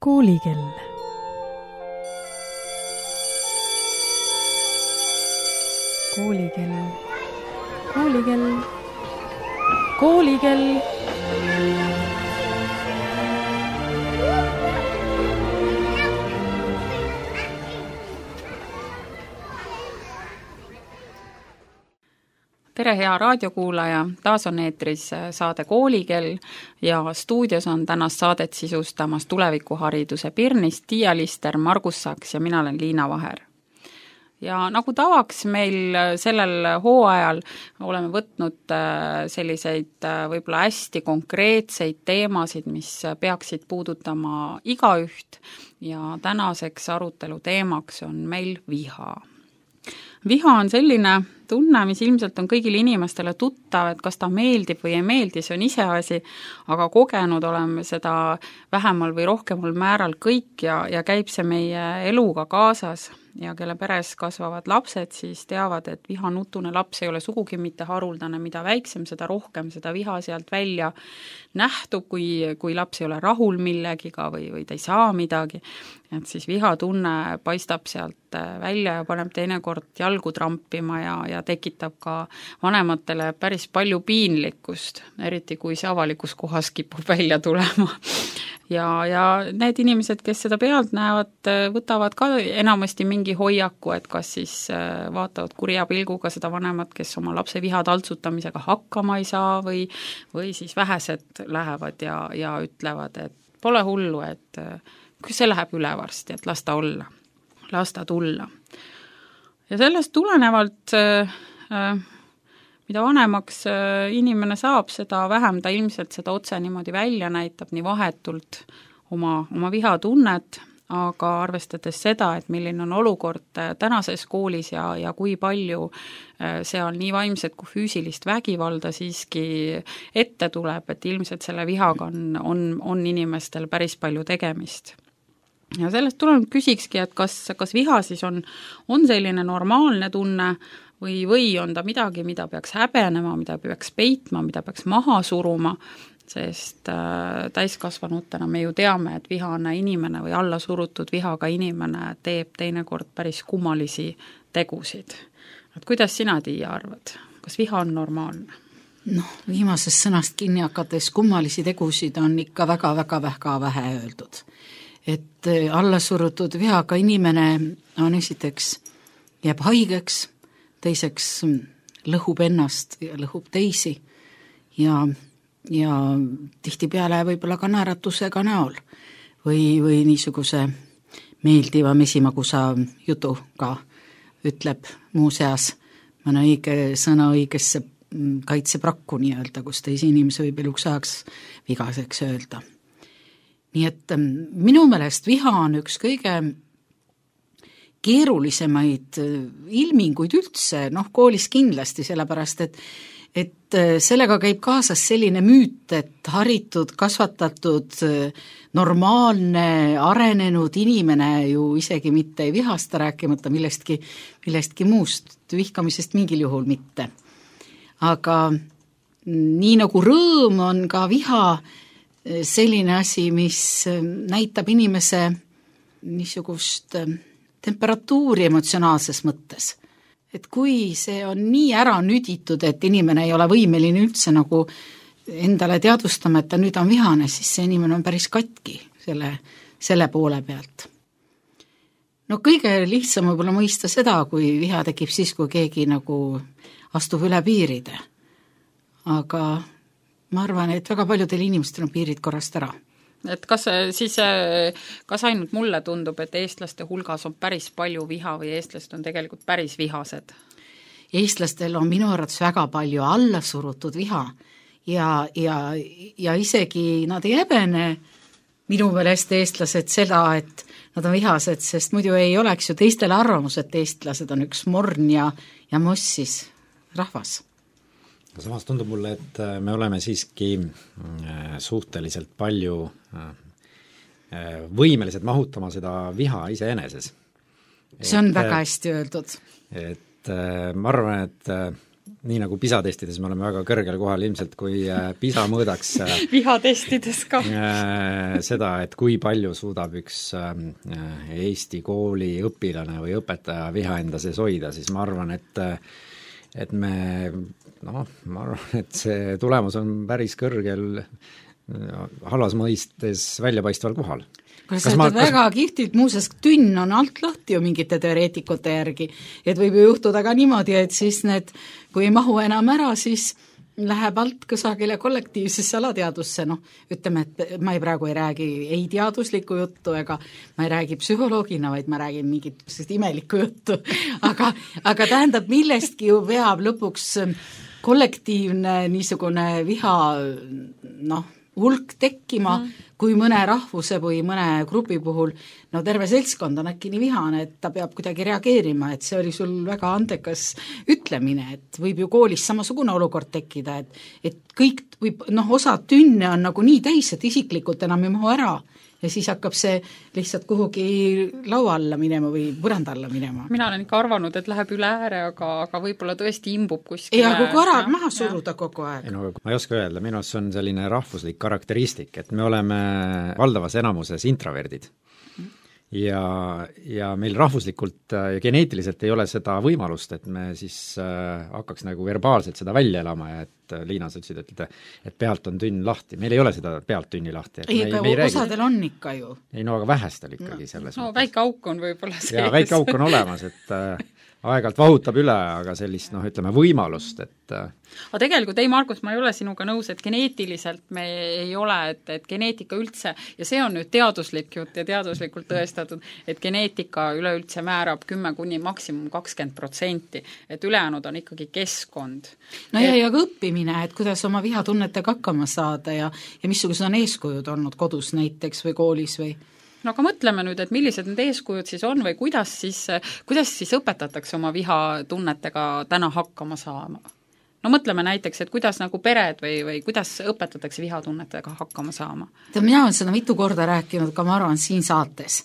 Koolikell. Koolikell. Koolikell. Koolikell. Tere, hea raadiokuulaja, taas on eetris saade Koolikell ja stuudios on tänast saadet sisustamas tulevikuhariduse Pirnist Tiia Lister, Margus Saks ja mina olen Liina Vaher. Ja nagu tavaks meil sellel hooajal oleme võtnud selliseid võib-olla hästi konkreetseid teemasid, mis peaksid puudutama igaüht ja tänaseks arutelu teemaks on meil viha. Viha on selline tunne, mis ilmselt on kõigile inimestele tuttav, et kas ta meeldib või ei meeldi, see on iseasi, aga kogenud oleme seda vähemal või rohkemal määral kõik ja käib see meie eluga kaasas ja kelle peres kasvavad lapsed, siis teavad, et vihanutune laps ei ole sugugi mitte haruldane, mida väiksem, seda rohkem seda viha sealt välja nähtub, kui laps ei ole rahul millegiga või ta ei saa midagi, et siis vihatunne paistab sealt välja ja paneb teinekord jalgu trampima ja tekitab ka vanematele päris palju piinlikkust, eriti kui see avalikus kohas kipub välja tulema. Ja need inimesed, kes seda pealt näevad, võtavad ka enamasti mingi hoiaku, et kas siis vaatavad kurja pilguga seda vanemat, kes oma lapse viha taltsutamisega hakkama ei saa või siis vähesed lähevad ja ütlevad, et pole hullu, et see läheb üle varsti, et las ta olla, las ta tulla. Ja sellest tulenevalt mida vanemaks inimene saab, seda vähem ta ilmselt seda otse niimoodi välja näitab, nii vahetult oma vihatunnet, aga arvestades seda, et milline on olukord tänases koolis ja kui palju seal nii vaimset kui füüsilist vägivalda siiski ette tuleb, et ilmselt selle vihaga on inimestel päris palju tegemist. Ja sellest tulenevalt küsikski, et kas viha siis on selline normaalne tunne, või on ta midagi, mida peaks häbenema, mida peaks peitma, mida peaks maha suruma, sest täiskasvanutena me ju teame, et vihane inimene või alla surutud vihaga inimene teeb teinekord päris kummalisi tegusid. Et kuidas sina, Tiia, arvad? Kas viha on normaalne? Viimasest sõnast kinni hakates kummalisi tegusid on ikka väga-väga vähe öeldud. Et alla surutud vihaga inimene on esiteks jääb haigeks, teiseks lõhub ennast ja lõhub teisi ja tihtipeale võib-olla ka naeratusega näol või niisuguse meeldiva mesimagusa jutuga ütleb muuseas mõne õige sõna õigesse kaitseprakku nii-öelda, kus teisi inimesi võib eluks ajaks vigaseks öelda. Nii et minu meelest viha on üks kõige keerulisemaid ilminguid üldse, koolis kindlasti, sellepärast, et sellega käib kaasas selline müüt, et haritud, kasvatatud, normaalne, arenenud inimene ju isegi mitte ei vihasta, rääkimata millestki muust, vihkamisest mingil juhul mitte. Aga nii nagu rõõm on ka viha selline asi, mis näitab inimese niisugust temperatuuri emotsionaalses mõttes. Et kui see on nii ära nüditud, et inimene ei ole võimeline üldse nagu endale teadvustama, et ta nüüd on vihane, siis see inimene on päris katki selle poole pealt. Kõige lihtsam võib-olla mõista seda, kui viha tekib siis, kui keegi nagu astub üle piiride. Aga ma arvan, et väga paljudel inimestel on piirid korrast ära. Et kas ainult mulle tundub, et eestlaste hulgas on päris palju viha või eestlased on tegelikult päris vihased? Eestlastel on minu arvates väga palju alla surutud viha ja isegi nad ei häbene minu meelest eestlased seda, et nad on vihased, sest muidu ei oleks ju teistele arvamus, et eestlased on üks morn ja mossis rahvas. Samas tundub mulle, et me oleme siiski suhteliselt palju võimelised mahutama seda viha iseeneses. See on väga hästi öeldud. Et ma arvan, et nii nagu PISA testides me oleme väga kõrgel kohal ilmselt, kui PISA mõõdaks vihatestides ka seda, et kui palju suudab üks Eesti kooli õpilane või õpetaja viha enda sees hoida, siis ma arvan, et ma arvan, et see tulemus on päris kõrgel halvas mõistes väljapaistval kohal. Väga kihvtilt, muuseas tünn on alt lahti ju mingite teoreetikute järgi, et võib ju juhtuda ka niimoodi, et siis need, kui ei mahu enam ära, siis läheb alt kusagile kollektiivsesse alateadusse, ütleme, et ma praegu ei räägi ei teaduslikku juttu ega ma ei räägi psühholoogina, vaid ma räägin mingit imelikku juttu, aga tähendab, millestki ju veab lõpuks kollektiivne niisugune viha, hulk tekkima, kui mõne rahvuse või mõne grupi puhul, terve seltskond on äkki nii vihane, et ta peab kuidagi reageerima, et see oli sul väga andekas ütlemine, et võib ju koolis samasugune olukord tekkida, et kõik võib, osa tünne on nagu nii täis, et isiklikult enam ei mahu ära ja siis hakkab see lihtsalt kuhugi laua alla minema või põranda alla minema. Mina olen ikka arvanud, et läheb üle ääre, aga võib-olla tõesti imbub kuskile. Ja kui korrad maha suruda kogu aeg. Ma ei oska öelda, minu arust see on selline rahvuslik karakteristik, et me oleme valdavas enamuses introverdid. Ja meil rahvuslikult ja geneetiliselt ei ole seda võimalust, et me siis hakkaks nagu verbaalselt seda välja elama ja et Liina, sa ütlesid, et pealt on tünn lahti. Meil ei ole seda pealt tünni lahti. Osadel on ikka ju. Ei, aga vähestel ikkagi selles mõttes. Väike auk on võib-olla sees. Ja väike auk on olemas, et aeg-ajalt vahutab üle, aga sellist, ütleme, võimalust, et aga tegelikult, Margus, ma ei ole sinuga nõus, et geneetiliselt me ei ole, et geneetika üldse, ja see on nüüd teaduslik jutt ja teaduslikult tõestatud, et geneetika üleüldse määrab 10 kuni maksimum 20%, et ülejäänud on ikkagi keskkond. Ja ka õppimine, et kuidas oma vihatunnetega hakkama saada ja missugused on eeskujud olnud kodus näiteks või koolis või? Aga mõtleme nüüd, et millised need eeskujud siis on või kuidas siis õpetatakse oma vihatunnetega täna hakkama saama? Mõtleme näiteks, et kuidas nagu pered või kuidas õpetatakse vihatunnetega hakkama saama? Mina olen seda mitu korda rääkinud, ka ma arvan siin saates,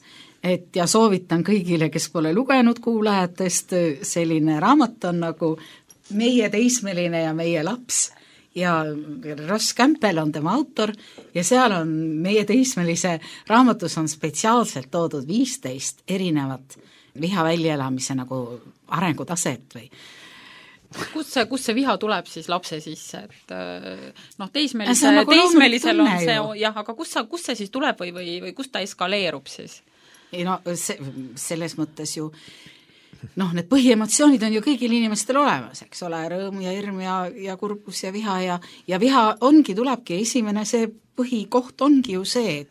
ja soovitan kõigile, kes pole lugenud kuulajatest, selline raamat on nagu Meie teismeline ja meie laps ja Ross Campbell on tema autor ja seal on meie teismelise raamatus on spetsiaalselt toodud 15 erinevat viha väljaelamise nagu arengutaset või Kust see viha tuleb siis lapse sisse, et teismelisel on see, jah, aga kust see siis tuleb või kust ta eskaleerub siis? Ei selles mõttes ju need põhiemotsioonid on ju kõigil inimestel olemas, eks ole, rõõm ja hirm ja kurbus ja viha ja viha tulebki esimene, see põhikoht ongi ju see,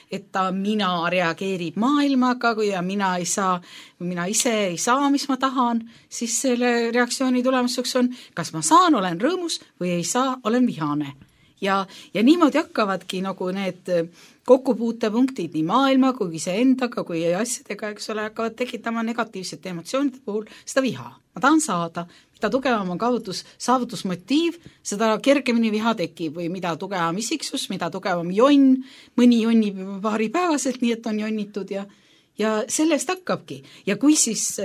et mina reageerib maailmaga, kui mina ise ei saa, mis ma tahan, siis selle reaktsiooni tulemuseks on, kas ma saan, olen rõõmus või ei saa, olen vihane. Ja niimoodi hakkavadki nagu need kokkupuutepunktid nii maailma kui iseendaga kui asjadega, eks ole, hakkavad tekitama negatiivsete emotsioonide puhul seda viha. Ma tahan saada, mida tugevam on saavutusmotiiv, seda kergemini viha tekib või mida tugevam isiksus, mida tugevam jonn, mõni jonnib paari päevaselt, nii et on jonnitud ja sellest hakkabki. Ja kui siis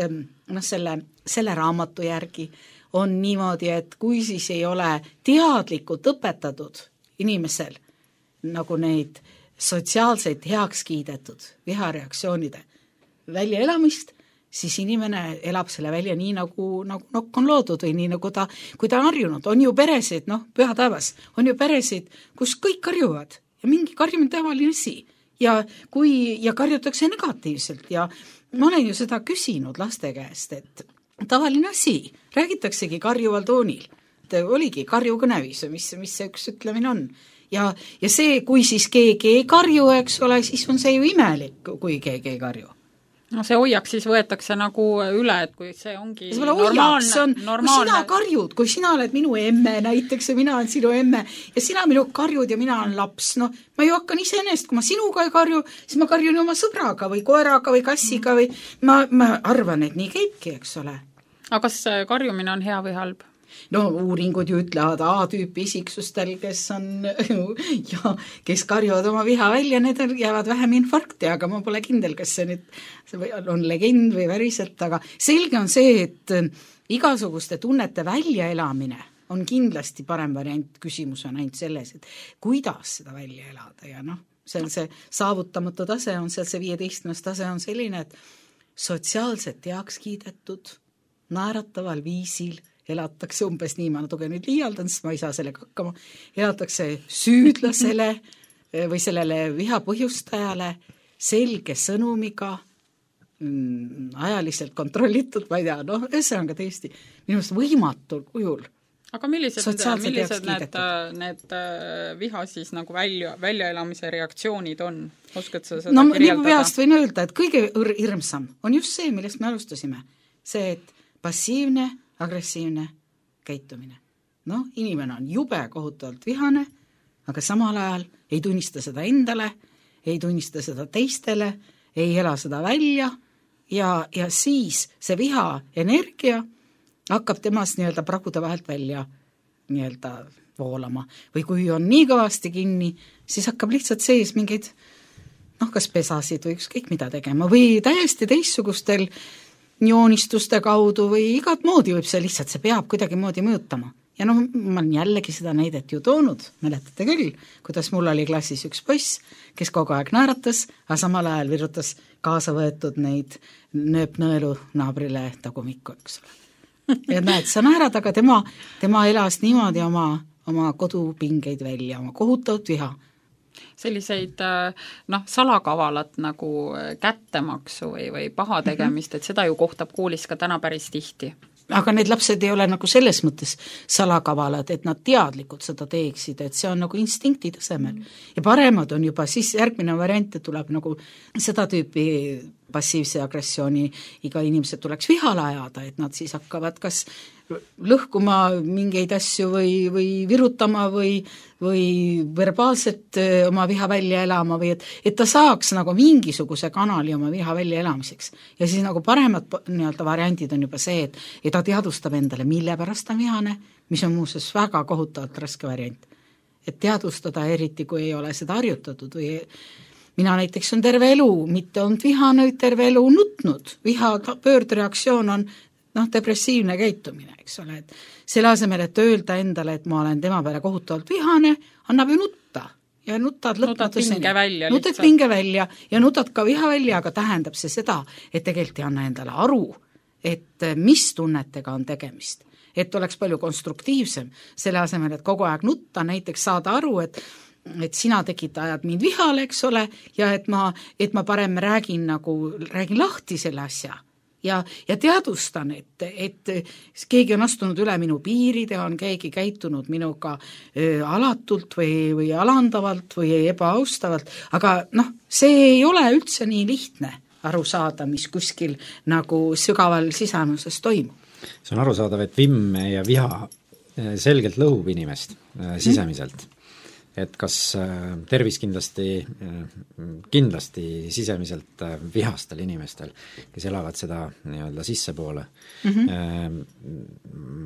selle raamatu järgi on niimoodi, et kui siis ei ole teadlikult õpetatud inimesel nagu neid sotsiaalseid heaks kiidetud vihareaktsioonide väljaelamist, siis inimene elab selle välja nii nagu nokk on loodud või nii nagu kui ta on harjunud. On ju peresid, püha taevas, on ju peresid, kus kõik karjuvad ja mingi karjumine tavaline asi ja karjutakse negatiivselt ja ma olen ju seda küsinud laste käest, et tavaline asi, räägitaksegi karjuval toonil, oligi karjukõnevis, mis see üks ütlemine on. Ja see, kui siis keegi ei karju, eks ole, siis on see ju imelik, kui keegi ei karju. See hoiak siis võetakse nagu üle, et kui see ongi normaalne. Kui sina karjud, kui sina oled minu emme näiteks ja mina olen sinu emme ja sina minu karjud ja mina olen laps, ma ju hakkan iseenesest, kui ma sinuga ei karju, siis ma karjun oma sõbraga või koeraga või kassiga või ma arvan, et nii käibki, eks ole. Aga kas karjumine on hea või halb? Uuringud ju ütlevad A-tüüpi isiksustel, kes karjuvad oma viha välja, need jäävad vähem infarkti, aga ma pole kindel, kas see nüüd on legend või väriselt, aga selge on see, et igasuguste tunnete väljaelamine on kindlasti parem variant, küsimus on ainult selles, et kuidas seda välja elada ja seal see saavutamatu tase on seal, see 15. tase on selline, et sotsiaalselt heaks kiidetud, naerataval viisil elatakse umbes nii, ma natuke nüüd liialdan, sest ma ei saa sellega hakkama, elatakse süüdlasele või sellele viha põhjustajale selge sõnumiga, ajaliselt kontrollitud, ma ei tea, ühesõnaga tõesti minust võimatul kujul. Aga millised need viha siis nagu väljaelamise reaktsioonid on? Oskad sa seda kirjeldada? Nii peast võin öelda, et kõige hirmsam on just see, millest me alustasime. See, et passiivne, agressiivne käitumine. Inimene on jube kohutavalt vihane, aga samal ajal ei tunnista seda endale, ei tunnista seda teistele, ei ela seda välja ja siis see viha energia hakkab temast nii-öelda pragude vahelt välja nii-öelda voolama. Või kui on nii kõvasti kinni, siis hakkab lihtsalt sees mingeid kas pesasid või ükskõik mida tegema või täiesti teistsugustel joonistuste kaudu või igat moodi võib see lihtsalt, see peab kuidagi moodi mõjutama. Ja ma olen jällegi seda näidet ju toonud, mäletate küll, kuidas mul oli klassis üks poiss, kes kogu aeg naeratas, aga samal ajal virutas kaasa võetud neid nööpnõelu naabrile tagumikku, eks ole. Ja näed, sa naerad, aga tema elas niimoodi oma kodupingeid välja, oma kohutavat viha. Selliseid salakavalat nagu kättemaksu või paha tegemist, et seda ju kohtab koolis ka täna päris tihti. Aga need lapsed ei ole nagu selles mõttes salakavalad, et nad teadlikult seda teeksid, et see on nagu instinkti tasemel. Ja paremad on juba siis järgmine variant, et tuleb nagu seda tüüpi passiivse agressiooni iga inimesed tuleks vihale ajada, et nad siis hakkavad kas lõhkuma mingeid asju või virutama või verbaalselt oma viha välja elama või et ta saaks nagu mingisuguse kanali oma viha välja elamiseks. Ja siis nagu paremad nii-öelda variandid on juba see, et ta teadvustab endale, mille pärast ta vihane, mis on muuseas väga kohutavalt raske variant. Et teadvustada eriti, kui ei ole seda harjutatud või mina näiteks on terve elu, mitte olnud vihane, terve elu nutnud. Viha pöördreaktsioon on depressiivne käitumine, eks ole, et selle asemel, et öelda endale, et ma olen tema peale kohutavalt vihane, annab ju nutta ja nutad pinge välja ja nutad ka viha välja, aga tähendab see seda, et tegelikult ei anna endale aru, et mis tunnetega on tegemist, et oleks palju konstruktiivsem selle asemel, et kogu aeg nutta, näiteks saada aru, et sina ajad mind vihale, eks ole, ja et ma parem räägin lahti selle asja. Ja teadvustan, et keegi on astunud üle minu piiride, on keegi käitunud minuga alatult või alandavalt või ebaaustavalt, aga see ei ole üldse nii lihtne aru saada, mis kuskil nagu sügaval sisamuses toimub. See on arusaadav, et vimm ja viha selgelt lõhub inimest sisemiselt. Et kas tervis kindlasti sisemiselt vihastel inimestel, kes elavad seda nii-öelda sissepoole.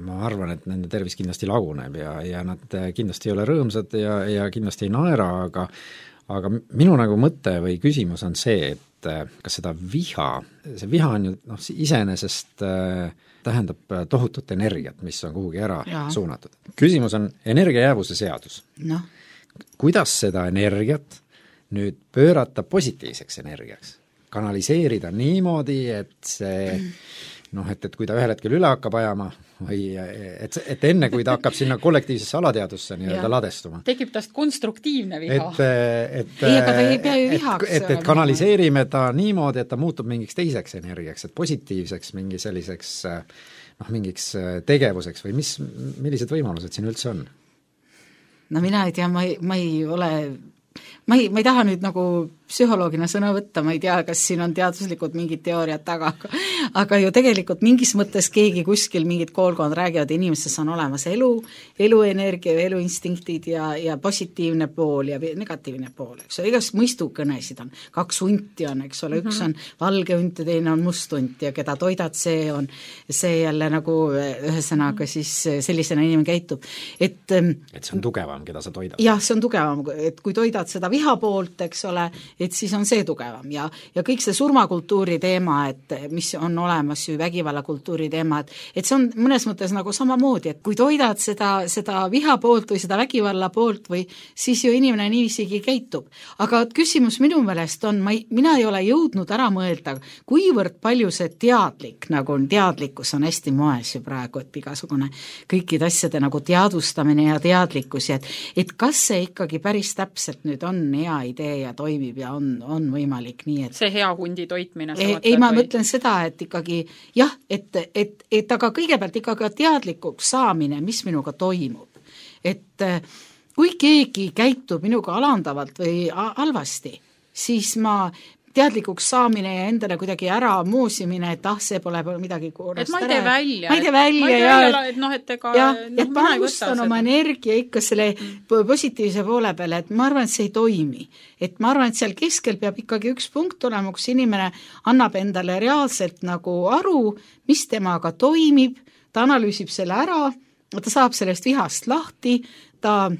Ma arvan, et nende tervis kindlasti laguneb ja nad kindlasti ei ole rõõmsad ja kindlasti ei naera, aga minu nagu mõte või küsimus on see, et kas seda see viha on ju iseenesest tähendab tohutut energiat, mis on kuhugi ära suunatud. Küsimus on energiajäävuse seadus. Kuidas seda energiat nüüd pöörata positiivseks energiaks? Kanaliseerida niimoodi, et see, et kui ta ühel hetkel üle hakkab ajama või et enne, kui ta hakkab sinna kollektiivsesse alateadusse nii-öelda ladestuma. Tekib tast konstruktiivne viha. Et kanaliseerime ta niimoodi, et ta muutub mingiks teiseks energiaks, et positiivseks mingi selliseks mingiks tegevuseks või millised võimalused siin üldse on? Mina ei tea, ma ei taha nüüd nagu psühholoogina sõna võtta, ma ei tea, kas siin on teaduslikud mingid teooriad taga, aga ju tegelikult mingis mõttes keegi kuskil mingid koolkond räägivad, inimestes on olemas eluenergia, eluinstinktid ja positiivne pool ja negatiivne pool, eks ole, igast mõistukõnesid on, 2 hunti on, eks ole, üks on valge hunt ja teine on must hunt ja keda toidad, see jälle nagu ühesõnaga siis sellisena inimene käitub. Et see on tugevam, keda sa toidad. Jah, see on tugevam, et kui toidad seda viha poolt, eks ole, et siis on see tugevam ja kõik see surmakultuuri teema, et mis on olemas ju vägivallakultuuri teema, et see on mõnes mõttes nagu samamoodi, et kui toidad seda viha poolt või seda vägivalla poolt või siis ju inimene niivisigi käitub. Aga küsimus minu meelest on, mina ei ole jõudnud ära mõelda, kuivõrd palju see teadlik, nagu on teadlikkus on hästi moes ju praegu, et igasugune kõikide asjade nagu teadvustamine ja teadlikkus ja et kas see ikkagi päris täpselt nüüd on hea idee ja toimib ja on võimalik nii, et see hea hundi toitmine ei, ma mõtlen seda, et ikkagi jah, et aga kõigepealt ikkagi teadlikuks saamine, mis minuga toimub. Et kui keegi käitub minuga alandavalt või halvasti, siis ma teadlikuks saamine ja endale kuidagi ära moosimine, et see pole midagi korrast ära. Et ma ei tee välja. Ma ei tee välja ja et ma arvustan oma energia ikka selle positiivse poole peale, et ma arvan, et see ei toimi. Et ma arvan, et seal keskel peab ikkagi üks punkt olema, kus inimene annab endale reaalselt nagu aru, mis temaga toimib, ta analüüsib selle ära, ta saab sellest vihast lahti, ta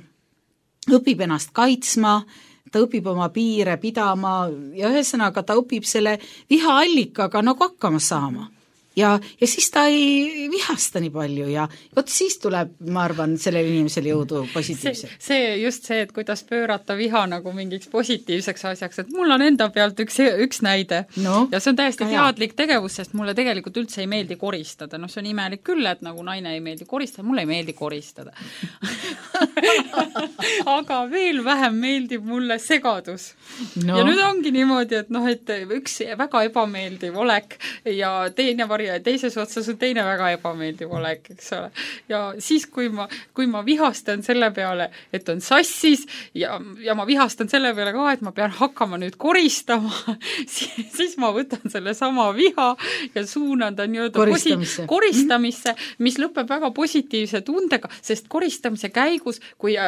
õpib ennast kaitsma, ta õpib oma piire pidama ja ühesõnaga ta õpib selle vihaallikaga nagu hakkama saama. Ja siis ta ei vihasta nii palju ja vot siis tuleb, ma arvan, sellele inimesele jõudu positiivselt. See, et kuidas pöörata viha nagu mingiks positiivseks asjaks, et mul on enda pealt üks näide ja see on täiesti teadlik tegevus, sest mulle tegelikult üldse ei meeldi koristada. See on imelik küll, et nagu naine ei meeldi koristada, mulle ei meeldi koristada. Aga veel vähem meeldib mulle segadus. Ja nüüd ongi niimoodi, et üks väga ebameeldiv olek ja teine ja teises otsas on teine väga ebameeldiv olek, eks ole. Ja siis, kui ma vihastan selle peale, et on sassis ja ma vihastan selle peale ka, et ma pean hakkama nüüd koristama, siis ma võtan selle sama viha ja suunan ta koristamisse, mis lõpeb väga positiivse tundega, sest koristamise käigus, kui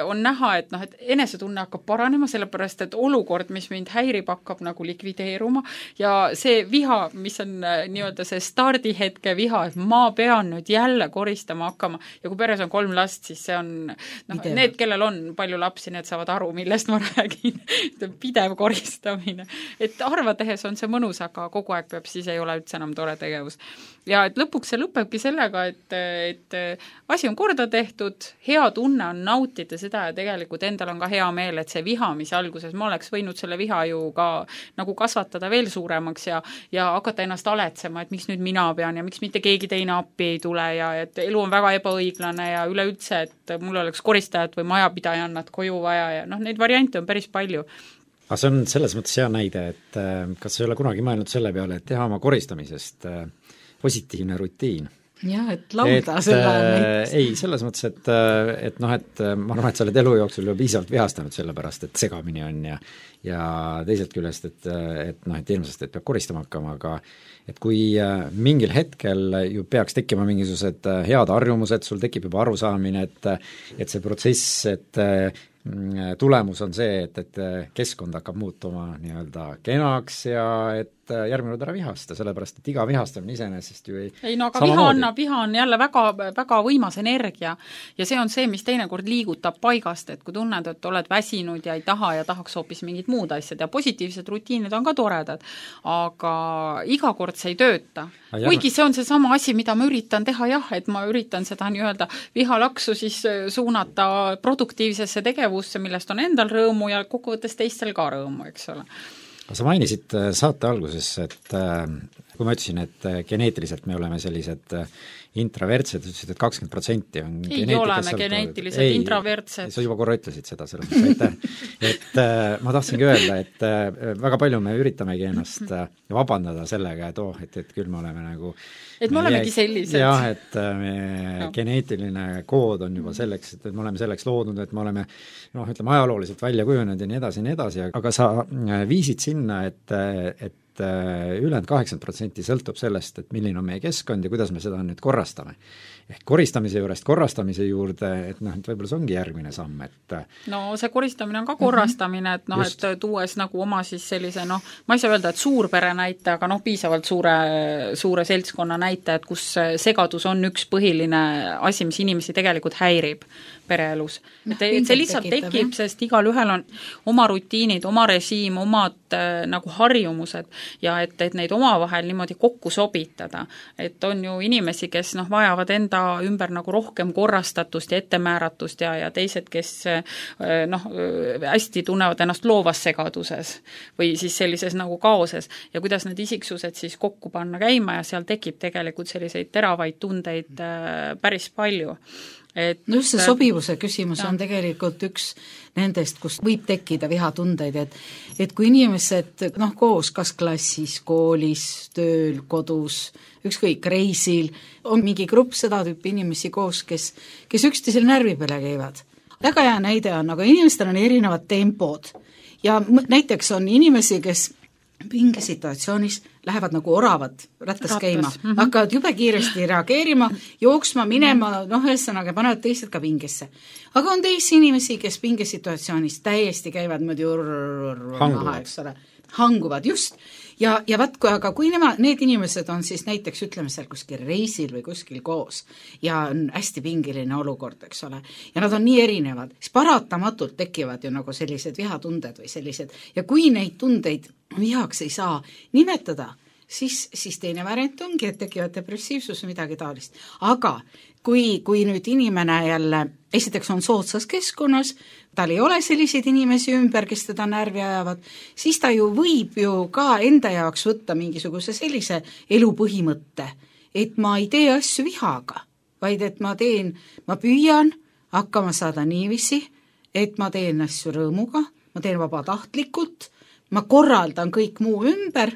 on näha, et enesetunne hakkab paranema, sellepärast, et olukord, mis mind häirib, hakkab nagu likvideeruma ja see viha, mis on nii-öelda see stardihetke viha, et ma pean nüüd jälle koristama hakkama ja kui peres on 3 last, siis see on need, kellel on palju lapsi, need saavad aru, millest ma räägin. Pidev koristamine. Et harva tehes on see mõnus, aga kogu aeg peab, siis ei ole üldse enam tore tegevus. Ja et lõpuks see lõpebki sellega, et asi on korda tehtud, hea tunne on nautida seda ja tegelikult endal on ka hea meel, et see viha, mis alguses ma oleks võinud selle viha ju ka nagu kasvatada veel suuremaks ja hakata ennast aletsema, et miks nüüd mina pean ja miks mitte keegi teine appi ei tule ja et elu on väga ebaõiglane ja üleüldse, et mul oleks koristajat või majapidajannat koju vaja ja neid variante on päris palju. Aga see on selles mõttes hea näide, et kas ei ole kunagi mõelnud selle peale, et teha oma koristamisest positiivne rutiin? Jah, et laulda selle näiteks. Ei, selles mõttes, et ma arvan, et sa oled elu jooksul juba piisavalt vihastanud sellepärast, et segamini on ja teiselt küljest, et ilmselt, et peab koristama hakkama, aga et kui mingil hetkel ju peaks tekkima mingisugused head harjumused, sul tekib juba arusaamine, et see protsess, et tulemus on see, et keskkond hakkab muutuma nii-öelda kenaks ja et järgmine kord ära vihasta, sellepärast et iga vihastamine iseenesest ju ei aga viha on jälle väga, väga võimas energia ja see on see, mis teinekord liigutab paigast, et kui tunned, et oled väsinud ja ei taha ja tahaks hoopis mingid muud asjad ja positiivsed rutiinid on ka toredad, aga iga kord see ei tööta. Kuigi see on see sama asi, mida ma üritan teha, et ma üritan seda nii-öelda vihalaksu siis suunata produktiivsesse tegevusse, millest on endal rõõmu ja kokkuvõttes teistel ka rõõmu, eks ole. Sa mainisid saate alguses, et kui ma ütlesin, et geneetiliselt me oleme sellised intravertsed, ütlesid, et 20% on ei oleme geneetiliselt intravertsed. Sa juba korra ütlesid seda, selles mõttes, et ma tahtsingi öelda, et väga palju me üritamegi ennast vabandada sellega, et küll me oleme nagu et me olemegi sellised. Jah, et geneetiline kood on juba selleks, et me oleme selleks loodnud, et me oleme ütleme ajalooliselt välja kujunenud ja nii edasi, aga sa viisid sinna, et et ülejäänud 80% sõltub sellest, et milline on meie keskkond ja kuidas me seda nüüd korrastame. Ehk koristamise juurest korrastamise juurde, et noh, et võib-olla see ongi järgmine samm, et no see koristamine on ka korrastamine, et noh, et tuues nagu oma siis sellise noh, ma ei saa öelda, et suurpere näite, aga noh, piisavalt suure seltskonna näite, et kus segadus on üks põhiline asi, mis inimesi tegelikult häirib pereelus. Et see lihtsalt tekib, sest igal ühel on oma rutiinid, oma režiim, omad nagu harjumused ja et neid omavahel niimoodi kokku sobitada. Et on ju inimesi, kes noh, vajavad enda ümber nagu rohkem korrastatust ja ettemääratust ja teised, kes noh, hästi tunnevad ennast loovas segaduses või siis sellises nagu kaoses ja kuidas need isiksused siis kokku panna käima ja seal tekib tegelikult selliseid teravaid tundeid päris palju. Et no just see sobivuse küsimus on tegelikult üks nendest, kus võib tekkida vihatundeid, et kui inimesed noh, koos kas klassis, koolis, tööl, kodus, ükskõik reisil, on mingi grupp seda tüüpi inimesi koos, kes üksteisel närvi peale käivad. Väga hea näide on, aga inimestel on erinevad tempod ja näiteks on inimesi, kes pingesituatsioonis lähevad nagu oravad rattas käima, hakkavad jube kiiresti reageerima, jooksma, minema, noh, ühesõnaga panevad teised ka pingesse. Aga on teisi inimesi, kes pingesituatsioonis täiesti käivad maha, eks ole, hanguvad, just. Ja kui need inimesed on siis näiteks, ütleme seal kuskil reisil või kuskil koos ja on hästi pingeline olukord, eks ole, ja nad on nii erinevad, siis paratamatult tekivad ju nagu sellised vihatunded või sellised, ja kui neid tundeid vihaks ei saa nimetada, siis teine variant ongi, et tekivad depressiivsus või midagi taolist. Aga kui nüüd inimene jälle, esiteks on soodsas keskkonnas, tal ei ole selliseid inimesi ümber, kes teda närvi ajavad, siis ta ju võib ju ka enda jaoks võtta mingisuguse sellise elupõhimõtte, et ma ei tee asju vihaga, vaid et ma püüan hakkama saada niiviisi, et ma teen asju rõõmuga, ma teen vabatahtlikult, ma korraldan kõik muu ümber,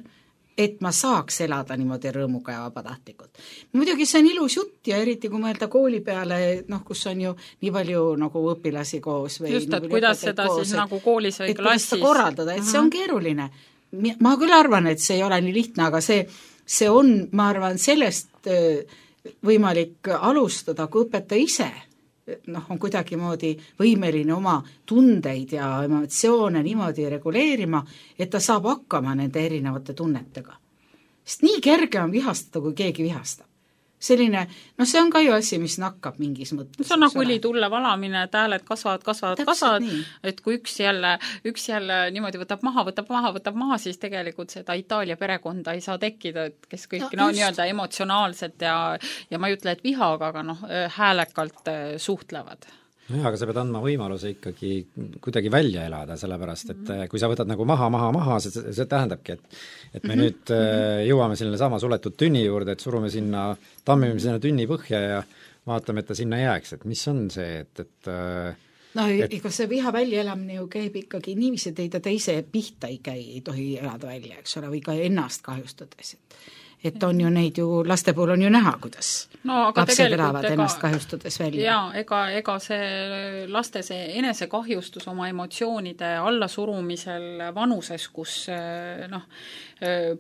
et ma saaks elada niimoodi rõõmuga ja vabatahtlikult. Muidugi see on ilus jutt ja eriti kui mõelda kooli peale, noh, kus on ju nii palju nagu õpilasi koos või just, et kuidas seda koos, siis nagu koolis või klassis korraldada, et see on keeruline. Ma küll arvan, et see ei ole nii lihtne, aga see on, ma arvan, sellest võimalik alustada, kui õpetaja ise noh, on kuidagimoodi võimeline oma tundeid ja emotsioone niimoodi reguleerima, et ta saab hakkama nende erinevate tunnetega. Sest nii kerge on vihastada, kui keegi vihastab. Selline, no see on ka ju asi, mis nakkab mingis mõttes. See on nagu õlitulle valamine, et hääled kasvavad, et kui üks jälle niimoodi võtab maha, siis tegelikult seda Itaalia perekonda ei saa tekkida, et kes kõik nii-öelda emotsionaalselt ja ma ei ütle, et vihaga, aga noh, häälekalt suhtlevad. No jah, aga sa pead andma võimaluse ikkagi kuidagi välja elada, sellepärast, et kui sa võtad nagu maha, see tähendabki, et me nüüd jõuame selline sama suletud tünni juurde, et tammime sinna tünni põhja ja vaatame, et ta sinna jääks, et mis on see, ega see viha väljaelamine ju käib ikkagi niiviisi, et teise pihta ei tohi elada välja, eks ole, või ka ennast kahjustades, et on ju neid ju, laste puhul on ju näha, kuidas lapsed elavad ennast kahjustades välja. Jaa, ega see laste enesekahjustus oma emotsioonide allasurumisel vanuses, kus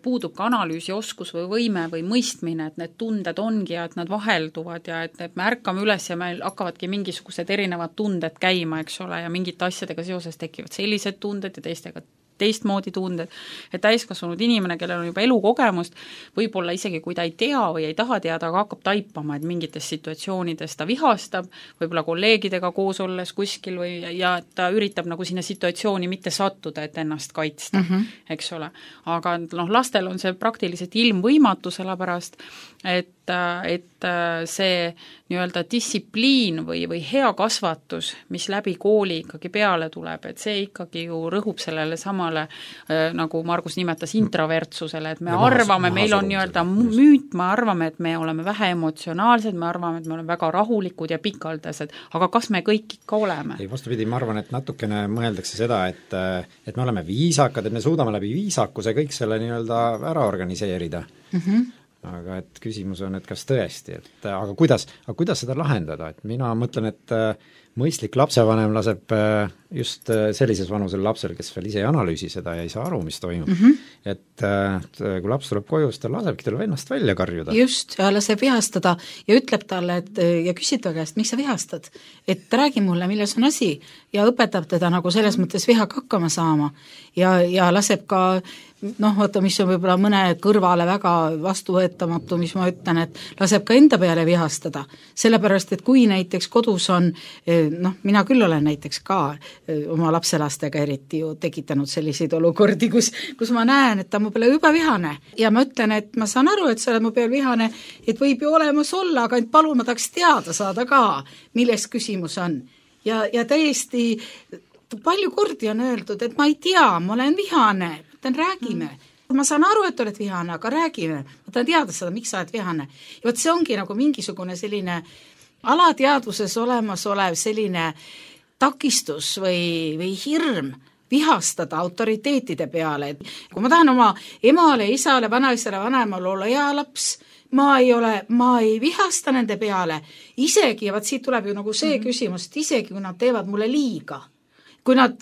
puudub ka analüüsioskus või võime või mõistmine, et need tunded ongi ja et nad vahelduvad ja et me ärkame üles ja meil hakkavadki mingisugused erinevad tunded käima, eks ole, ja mingite asjadega seoses tekivad sellised tunded ja teistmoodi tunded, et täiskasvanud inimene, kellel on juba elukogemust, võib-olla isegi kui ta ei tea või ei taha teada, aga hakkab taipama, et mingites situatsioonides ta vihastab, võib-olla kolleegidega koos olles kuskil ja ta üritab nagu sinna situatsiooni mitte sattuda, et ennast kaitsta, eks ole. Aga noh, lastel on see praktiliselt ilmvõimatu, sellepärast, et see nii-öelda distsipliin või hea kasvatus, mis läbi kooli ikkagi peale tuleb, et see ikkagi ju rõhub sellele samale, nagu Margus nimetas, introvertsusele, et me arvame, meil on nii-öelda müüt, me arvame, et me oleme vähe emotsionaalsed, me arvame, et me oleme väga rahulikud ja pikaldased, aga kas me kõik ikka oleme? Ei, vastupidi, ma arvan, et natukene mõeldakse seda, et me oleme viisakad, et me suudame läbi viisakuse kõik selle nii-öelda ära organiseerida. Aga et küsimus on, et kas tõesti, aga kuidas seda lahendada, et mina mõtlen, et mõistlik lapsevanem laseb just sellises vanusel lapsel, kes veel ise ei analüüsi seda ja ei saa aru, mis toimub. Et kui laps tuleb koju, siis ta lasebki tal ennast välja karjuda. Just, ja laseb vihastada ja ütleb talle, ja küsib ta käest, miks sa vihastad? Et räägi mulle, milles on asi, ja õpetab teda nagu selles mõttes vihaga hakkama saama ja laseb ka vaata, mis on võib-olla mõne kõrvale väga vastuvõetamatu, mis ma ütlen, et laseb ka enda peale vihastada, sellepärast, et kui näiteks kodus on, mina küll olen näiteks ka oma lapselastega eriti ju tekitanud selliseid olukordi, kus ma näen, et ta mu peale juba vihane ja ma ütlen, et ma saan aru, et sa oled mu peal vihane, et võib ju olemas olla, aga palun ma tahaks teada saada ka, milles küsimus on. Ja täiesti palju kordi on öeldud, et ma ei tea, ma olen vihane, räägime. Ma saan aru, et oled vihane, aga räägime. Ma tahan teada seda, miks sa oled vihane. Ja võt see ongi nagu mingisugune selline alateadvuses olev selline takistus või hirm vihastada autoriteetide peale. Kui ma tahan oma emale, isale, vanaisale, vanemale olla hea laps, ma ei vihasta nende peale. Isegi, ja siit tuleb ju nagu see küsimus, et isegi kui nad teevad mulle liiga, kui nad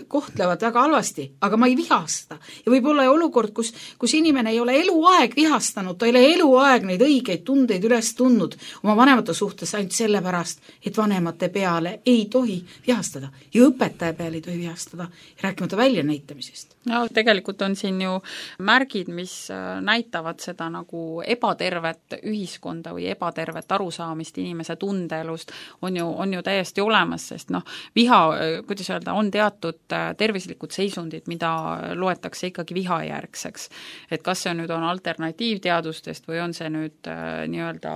kohtlevad väga halvasti, aga ma ei vihasta. Ja võib olla olukord, kus inimene ei ole eluaeg vihastanud, ta ei ole eluaeg neid õigeid tundeid üles tundnud oma vanemate suhtes ainult sellepärast, et vanemate peale ei tohi vihastada ja õpetaja peale ei tohi vihastada, rääkimata väljanäitamisest. No tegelikult on siin ju märgid, mis näitavad seda nagu ebatervet ühiskonda või ebatervet arusaamist inimese tundeelust on ju täiesti olemas, sest viha, kuidas öelda, on teatud tervislikud seisundid, mida loetakse ikkagi vihajärgseks. Et kas see nüüd on alternatiivteadustest või on see nüüd nii-öelda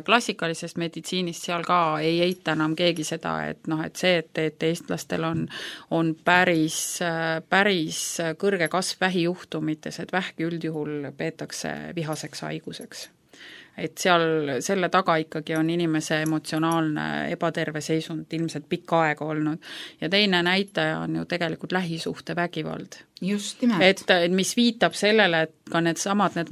klassikalisest meditsiinist, seal ka ei eita enam keegi seda, et see, et eestlastel on päris kõrge kasv vähijuhtumites, et vähki üldjuhul peetakse vihaseks haiguseks. Et seal selle taga ikkagi on inimese emotsionaalne ebaterve seisund ilmselt pikka aega olnud. Ja teine näitaja on ju tegelikult lähisuhte vägivald. Just nimelt. Et mis viitab sellele, et ka need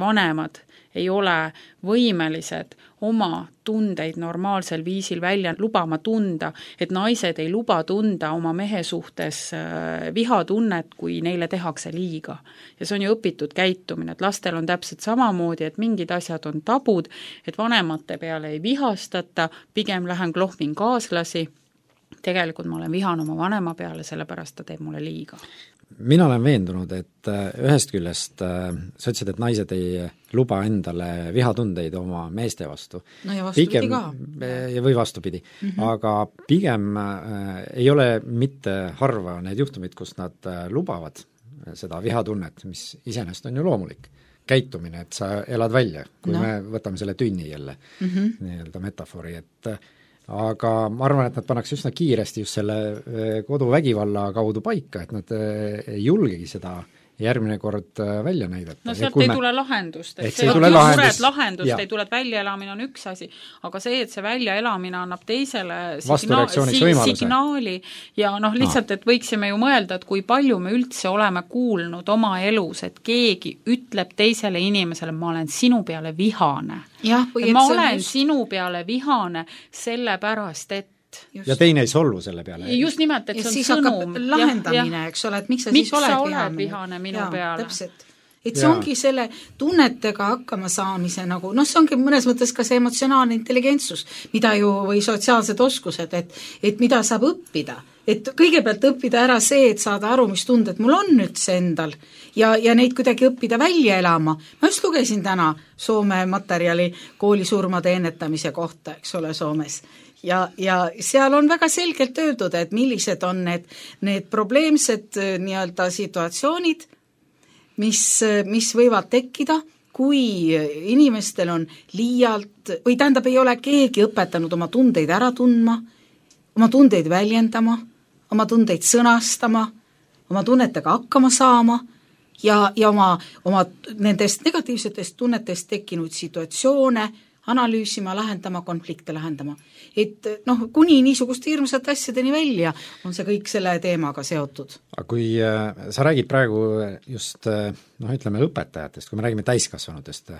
vanemad ei ole võimelised oma tundeid normaalsel viisil välja lubama tunda, et naised ei luba tunda oma mehe suhtes vihatunnet, kui neile tehakse liiga. Ja see on ju õpitud käitumine, et lastel on täpselt samamoodi, et mingid asjad on tabud, et vanemate peale ei vihastata, pigem lähen klohvin kaaslasi, tegelikult ma olen vihane oma vanema peale, sellepärast ta teeb mulle liiga. Mina olen veendunud, et ühest küljest sa ütlesid, et naised ei luba endale vihatundeid oma meeste vastu. No ja vastupidi pigem, ka. Või vastupidi. Aga pigem ei ole mitte harva need juhtumid, kus nad lubavad seda vihatunnet, mis iseenesest on ju loomulik käitumine, et sa elad välja, kui me võtame selle tünni jälle nii-öelda metafoori, et aga ma arvan, et nad pannakse üsna kiiresti just selle koduvägivalla kaudu paika, et nad ei julgegi seda järgmine kord välja näidata. No sealt ei tule lahendust, et see lahendust ei tule, et väljaelamine on üks asi, aga see, et see väljaelamine annab teisele signaali ja lihtsalt, et võiksime ju mõelda, et kui palju me üldse oleme kuulnud oma elus, et keegi ütleb teisele inimesele, ma olen sinu peale vihane. Ma olen sinu peale vihane sellepärast, et just. Ja teine ei solvu selle peale. Just nimelt, et see on sõnum. Lahendamine, eks ole, et miks sa siis oled vihane minu peale. Täpselt. Et see ongi selle tunnetega hakkama saamise nagu, see ongi mõnes mõttes ka see emotsionaalne intelligentsus, mida ju, või sotsiaalsed oskused, et mida saab õppida. Et kõigepealt õppida ära see, et saada aru, mis tunded mul on üldse endal ja neid kuidagi õppida välja elama. Ma just lugesin täna Soome materjali koolisurmade ennetamise kohta, eks ole, Soomes. Ja seal on väga selgelt öeldud, et millised on need probleemsed nii-öelda situatsioonid, mis võivad tekkida, kui inimestel on liialt, või tähendab, ei ole keegi õpetanud oma tundeid ära tundma, oma tundeid väljendama, oma tundeid sõnastama, oma tunnetega hakkama saama ja oma nendest negatiivsetest tunnetest tekkinud situatsioone analüüsima, lahendama, konflikte lahendama. Et kuni niisugust hirmsat asjadeni välja on see kõik selle teemaga seotud. Aga kui sa räägid praegu just ütleme õpetajatest, kui me räägime täiskasvanutest,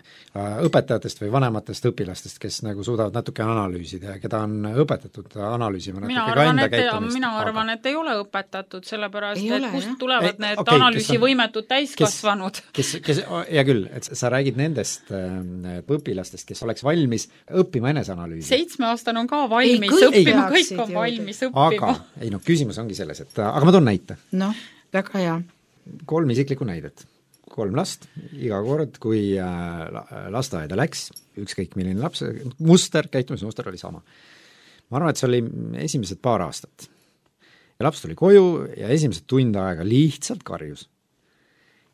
õpetajatest või vanematest õpilastest, kes nagu suudavad natuke analüüsida ja keda on õpetatud analüüsima natuke ka enda käitumist. Mina arvan, et ei ole õpetatud, sellepärast, et kust tulevad need analüüsivõimetud täiskasvanud. Hea küll, et sa räägid nendest õpilastest, kes oleks valmis õppima eneseanalüüsi. 7-aastane on ka valmis õppima, kõik on valmis õppima. Aga küsimus ongi selles, et aga ma toon näite. Väga hea. 3 isiklikku näidet. 3 last, iga kord, kui lasteaeda läks, ükskõik milline laps, käitumismuster oli sama. Ma arvan, et see oli esimesed paar aastat. Ja laps tuli koju ja esimesed tund aega lihtsalt karjus.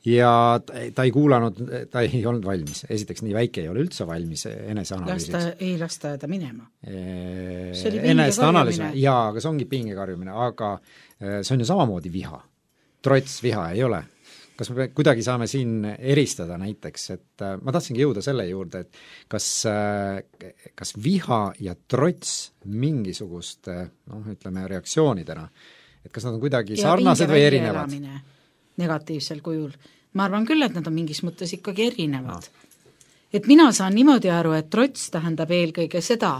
Ja ta ei kuulanud, ta ei olnud valmis. Esiteks nii väike ei ole üldse valmis eneseanalüüsiks. Ei lasta ta minema. See oli pingekarjumine. Jaa, aga see ongi pingekarjumine, aga see on ju samamoodi viha. Trots viha ei ole. Kas me kuidagi saame siin eristada näiteks, et ma tahtsingi jõuda selle juurde, et kas viha ja trots mingisugust ütleme reaktsioonidena, et kas nad on kuidagi sarnased või erinevad? Negatiivsel kujul. Ma arvan küll, et nad on mingis mõttes ikkagi erinevad. Et mina saan niimoodi aru, et trots tähendab eelkõige seda,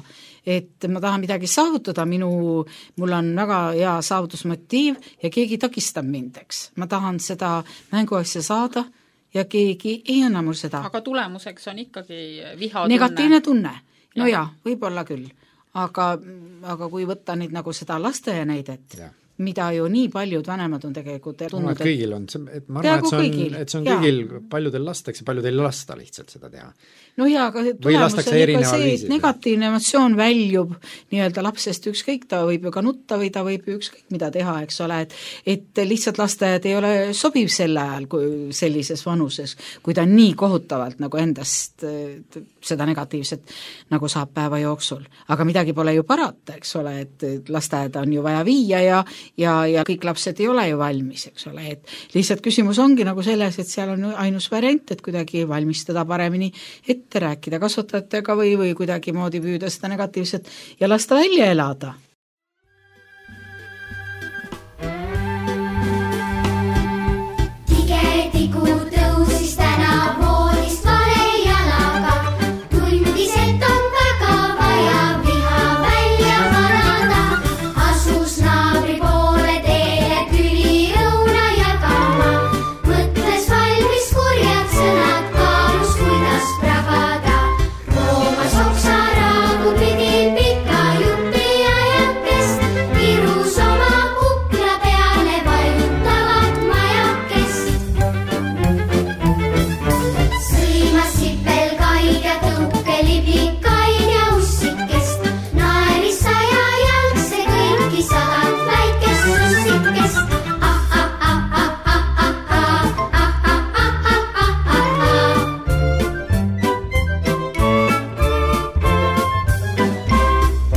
et ma tahan midagi saavutada, mul on väga hea saavutusmotiiv ja keegi takistab mind, eks. Ma tahan seda mänguasja saada ja keegi ei anna mul seda. Aga tulemuseks on ikkagi vihatunne. Negatiivne tunne. No ja, võib-olla küll. Aga kui võtta nüüd nagu seda lasteaia näidet, mida ju nii paljud vanemad on tegelikult tundnud. Kõigil on, ma arvan, et see on kõigil paljudel lasteks ja paljudel lasta lihtsalt seda teha. No jaa, aga tulemus on ikka see, et negatiivne emotsioon väljub nii-öelda lapsest ükskõik, ta võib ju ka nutta või ta võib ju ükskõik mida teha, eks ole, et lihtsalt lasteaed ei ole sobiv sel ajal kui sellises vanuses, kui ta nii kohutavalt nagu endast seda negatiivset nagu saab päeva jooksul. Aga midagi pole ju parata, eks ole, et lasteaed on ju vaja viia ja kõik lapsed ei ole ju valmis, eks ole, et lihtsalt küsimus ongi nagu selles, et seal on ainus variant, et kuidagi valmistada paremini ette rääkida kasvatajatega või kuidagi moodi püüda seda negatiivset ja lasta välja elada. Tigetiku tõusis täna voodist vale jalaga, tundis, et on väga vaja viha välja parada, asus naabri poole teele tüli õuna jagama, mõtles valmis kurjad sõnad, kaalus kuidas pragada, roomas oksaraagu pidi pika jupi ajakest, kirus oma kukla peale vajutavat majakest. Sõimas sipelkaid ja tõukelibikaid ja ussikest, naeris 100 jalgse kõiki 100 väikest sussikest.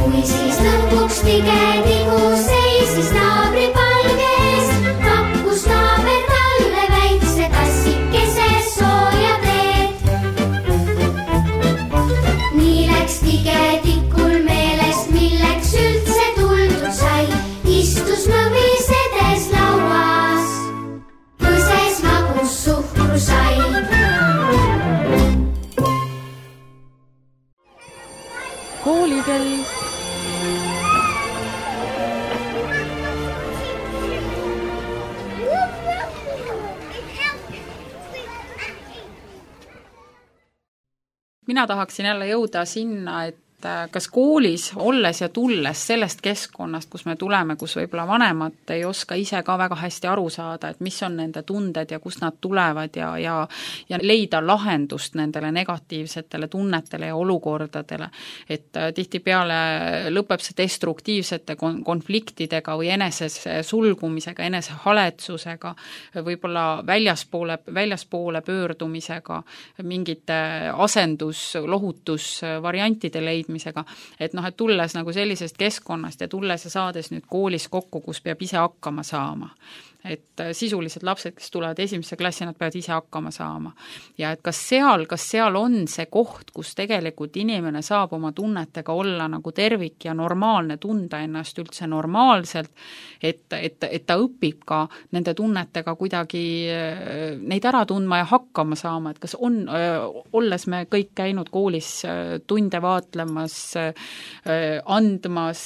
Kui siis lõpuks tigetigu seisis naabri palgees, pakkus naaber talle väikse tassikese sooja teed. Nii läks tigetikul meelest, milleks üldse tuldud sai, istus mõvisedes lauas, põses magus suhkrusai. Koolikell. Mina tahaksin jälle jõuda sinna, et kas koolis olles ja tulles sellest keskkonnast, kus me tuleme, kus võib-olla vanemad ei oska ise ka väga hästi aru saada, et mis on nende tunded ja kust nad tulevad ja leida lahendust nendele negatiivsetele tunnetele ja olukordadele. Et tihtipeale lõpeb see destruktiivsete konfliktidega või eneses sulgumisega, enese haletsusega, võib-olla väljaspoole pöördumisega, mingite lohutusvariantide leidmisega, et et tulles nagu sellisest keskkonnast ja tulles ja saades nüüd koolis kokku, kus peab ise hakkama saama, et sisulised lapsed, kes tulevad esimesse klassi, nad peavad ise hakkama saama. Ja et kas seal on see koht, kus tegelikult inimene saab oma tunnetega olla nagu tervik ja normaalne, tunda ennast üldse normaalselt, et ta õpib ka nende tunnetega kuidagi neid ära tundma ja hakkama saama, et kas on, olles me kõik käinud koolis tunde vaatlemas, andmas,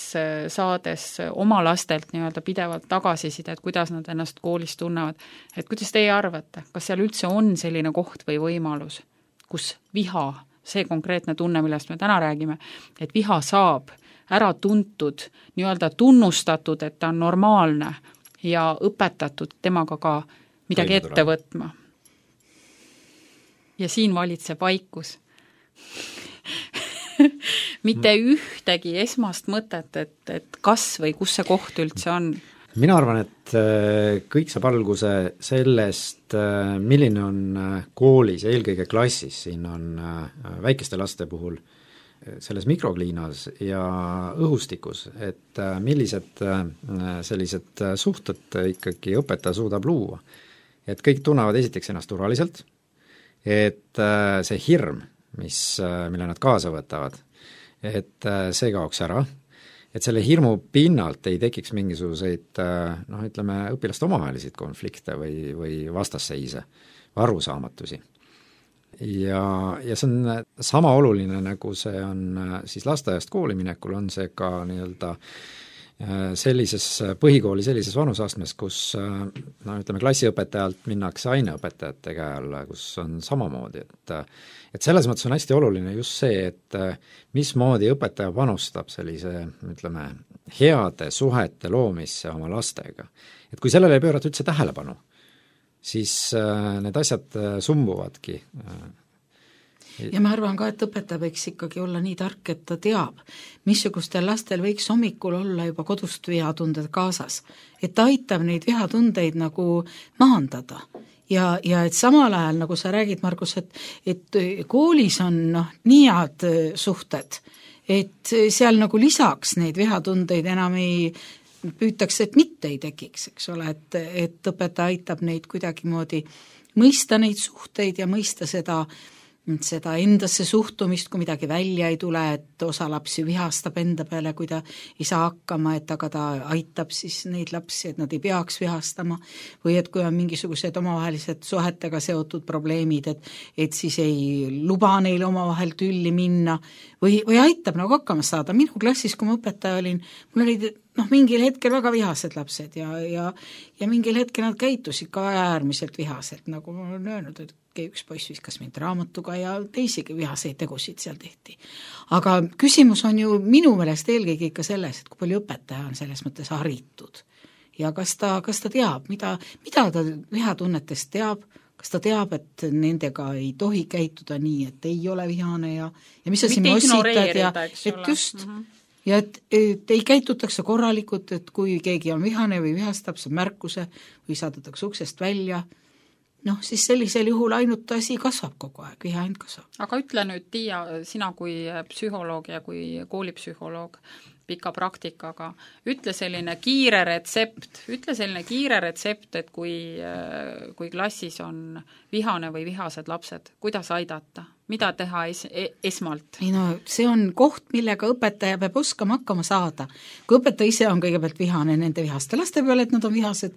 saades oma lastelt nii-öelda pidevalt tagasiside, et kuidas nad ennast koolis tunnevad, et kuidas teie arvate, kas seal üldse on selline koht või võimalus, kus viha, see konkreetne tunne, millest me täna räägime, et viha saab ära tuntud, nii-öelda tunnustatud, et ta on normaalne ja õpetatud temaga ka midagi ette võtma. Ja siin valitseb vaikus. Mitte ühtegi esmast mõtet, et kas või kus see koht üldse on. Mina arvan, et kõik saab alguse sellest, milline on koolis ja eelkõige klassis, siin on väikeste laste puhul selles mikrokliinas ja õhustikus, et millised sellised suhted ikkagi õpetaja suudab luua. Et kõik tunnevad esiteks ennast turvaliselt, et see hirm, mille nad kaasa võtavad, et see kaoks ära, et selle hirmu pinnalt ei tekiks mingisuguseid ütleme, õpilaste omavaheliseid konflikte või vastasseise, arusaamatusi. Ja see on sama oluline, nagu see on siis lasteaiast kooli minekul, on see ka nii-öelda sellises põhikooli sellises vanusastmes, kus ütleme, klassiõpetajalt minnakse aineõpetajate käe alla, kus on samamoodi, et selles mõttes on hästi oluline just see, et mismoodi õpetaja panustab sellise, ütleme, heade suhete loomisse oma lastega. Et kui sellele ei pöörata üldse tähelepanu, siis need asjad sumbuvadki. Ja ma arvan ka, et õpetaja võiks ikkagi olla nii tark, et ta teab, missugustel lastel võiks hommikul olla juba kodust vihatunded kaasas. Et ta aitab neid vihatundeid nagu maandada. Ja et samal ajal, nagu sa räägid, Margus, et koolis on nii head suhted, et seal nagu lisaks neid vihatundeid enam ei püütakse, et mitte ei tekiks, eks ole, et õpetaja aitab neid kuidagimoodi mõista neid suhteid ja mõista seda endasse suhtumist, kui midagi välja ei tule, et osa lapsi vihastab enda peale, kui ta ei saa hakkama, et aga ta aitab siis neid lapsi, et nad ei peaks vihastama, või et kui on mingisugused omavahelised suhetega seotud probleemid, et siis ei luba neil omavahel tülli minna, või aitab nagu hakkama saada. Minu klassis, kui ma õpetaja olin, mul olid mingil hetkel väga vihased lapsed ja mingil hetkel nad käitusid ka äärmiselt vihaselt, nagu ma olen öelnud, et üks poiss viskas mind raamatuga ja teisigi vihaseid tegusid seal tehti. Aga küsimus on ju minu meelest eelkõige ikka selles, et kui palju õpetaja on selles mõttes haritud ja kas ta teab, mida ta vihatunnetest teab, kas ta teab, et nendega ei tohi käituda nii, et ei ole vihane ja mis sa siin ossitad ja et just ja et ei käitutakse korralikult, et kui keegi on vihane või vihastab, saab märkuse või saadetakse uksest välja, siis sellisel juhul ainult asi kasvab kogu aeg, viha ainult kasvab. Aga ütle nüüd, Tiia, sina kui psühholoog ja kui koolipsühholoog pika praktikaga, ütle selline kiire retsept, et kui klassis on vihane või vihased lapsed, kuidas aidata? Mida teha esmalt? See on koht, millega õpetaja peab oskama hakkama saada. Kui õpetaja ise on kõigepealt vihane nende vihaste laste peale, et nad on vihased,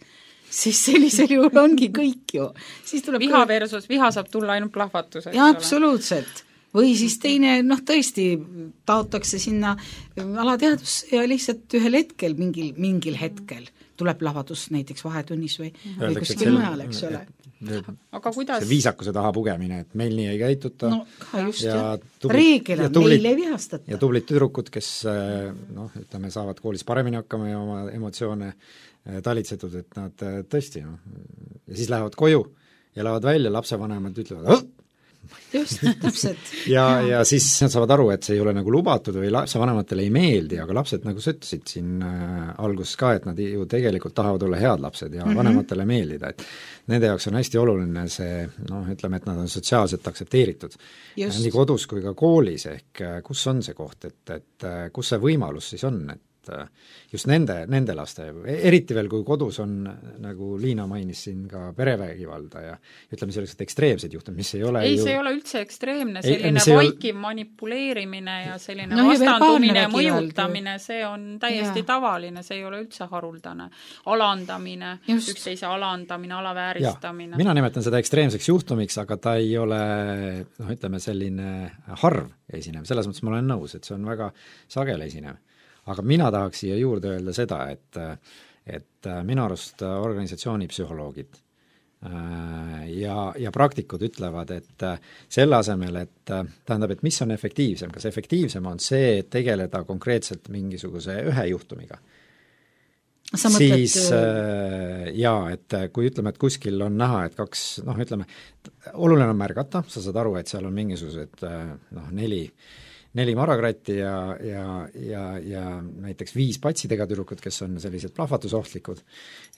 siis sellisel juhul ongi kõik ju. Siis tuleb versus viha saab tulla ainult plahvatuseks. Ja absoluutselt. Või siis teine, tõesti taotakse sinna alateadusse ja lihtsalt ühel hetkel, mingil hetkel tuleb plahvatus näiteks vahetunnis või kuskil mujal, eks ole. Aga kuidas? See viisakuse taha pugemine, et meil nii ei käituta. Reegel on, meil ei vihastata. Ja tublid tüdrukud, kes ütleme, saavad koolis paremini hakkama ja oma emotsioone talitsetud, et nad tõesti ja siis lähevad koju ja lähevad välja, lapsevanemad ütlevad just, täpselt. ja siis nad saavad aru, et see ei ole nagu lubatud või lapsevanematele ei meeldi, aga lapsed, nagu sa ütlesid siin alguses ka, et nad ju tegelikult tahavad olla head lapsed ja vanematele meeldida, et nende jaoks on hästi oluline see, ütleme, et nad on sotsiaalselt aktsepteeritud. Nii kodus kui ka koolis, ehk kus on see koht, et kus see võimalus siis on, et just nende laste, eriti veel, kui kodus on, nagu Liina mainis siin, ka perevägivalda ja ütleme, sellised ekstreemsed juhtumid, mis ei ole see ei ole üldse ekstreemne, selline vaikiv manipuleerimine ja selline vastandumine ja mõjutamine, see on täiesti tavaline, see ei ole üldse haruldane. Alandamine, üksteise alandamine, alavääristamine. Mina nimetan seda ekstreemseks juhtumiks, aga ta ei ole, ütleme, selline harv esinev, selles mõttes ma olen nõus, et see on väga sagele esinev. Aga mina tahaks siia juurde öelda seda, et minu arust organisatsioonipsühholoogid ja praktikud ütlevad, et selle asemel, et tähendab, et mis on efektiivsem, kas efektiivsem on see, et tegeleda konkreetselt mingisuguse ühe juhtumiga, siis et kui ütleme, et kuskil on näha, et kaks, ütleme, oluline on märgata, sa saad aru, et seal on mingisugused neli maragratti ja näiteks 5 patsidega tüdrukut, kes on sellised plahvatusohtlikud,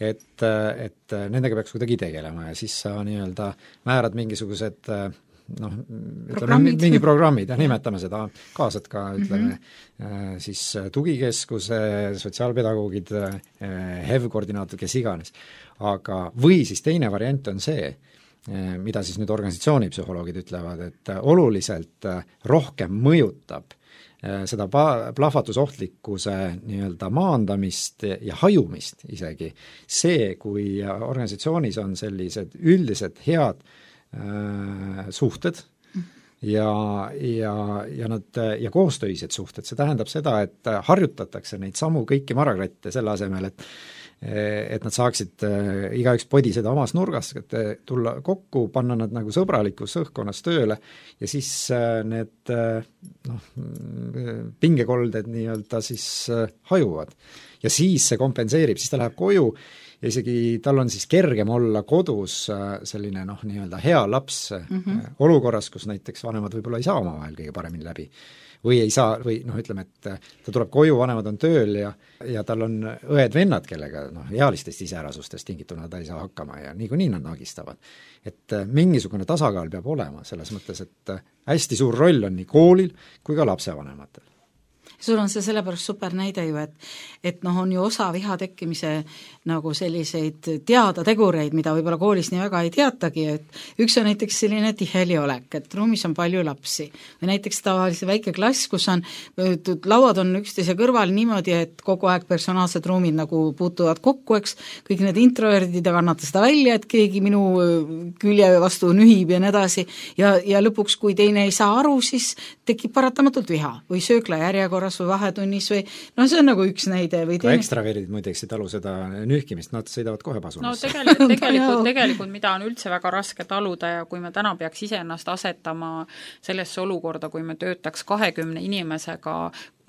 et nendega peaks kuidagi tegelema ja siis sa nii-öelda määrad mingisugused mingi programmid ja nimetame seda, kaasad ka, ütleme, siis tugikeskuse, sotsiaalpedagoogid, HEV-koordinaator, kes iganes. Aga, või siis teine variant on see, mida siis nüüd organisatsioonipsühholoogid ütlevad, et oluliselt rohkem mõjutab seda plahvatusohtlikkuse nii-öelda maandamist ja hajumist isegi see, kui organisatsioonis on sellised üldised head suhted ja koostöised suhted, see tähendab seda, et harjutatakse neid samu kõiki maragratte selle asemel, et nad saaksid igaüks podi seda omas nurgas, et tulla kokku, panna nad nagu sõbralikus õhkkonnas tööle ja siis need pingekolded nii-öelda siis hajuvad. Ja siis see kompenseerib, siis ta läheb koju ja isegi tal on siis kergem olla kodus selline nii-öelda hea laps olukorras, kus näiteks vanemad võib-olla ei saa omavahel kõige paremini läbi. Või ei saa, või ütleme, et ta tuleb koju, vanemad on tööl ja tal on õed-vennad, kellega ealistest iseärasustest tingituna ta ei saa hakkama ja niikuinii nad nagistavad. Et mingisugune tasakaal peab olema selles mõttes, et hästi suur roll on nii koolil kui ka lapsevanematel. Sul on see sellepärast super näide ju, et on ju osa viha tekkimise nagu selliseid teada tegureid, mida võib-olla koolis nii väga ei teatagi, et üks on näiteks selline tiheli olek, et ruumis on palju lapsi. Või näiteks tavalise väike klass, kus on, lauad on üksteise kõrval niimoodi, et kogu aeg personaalsed ruumid nagu puutuvad kokku, eks, kõik need introverdid ja kannata seda välja, et keegi minu külje vastu nühib ja nii edasi. Ja lõpuks, kui teine ei saa aru, siis tekib paratamatult viha või söökla järjekorras või vahetunnis või see on nagu üks näide. Või ka ekstraveerid muideks ei talu seda nühkimist, nad sõidavad kohe pasunasse. Tegelikult mida on üldse väga raske taluda ja kui me täna peaks iseennast asetama sellesse olukorda, kui me töötaks 20 inimesega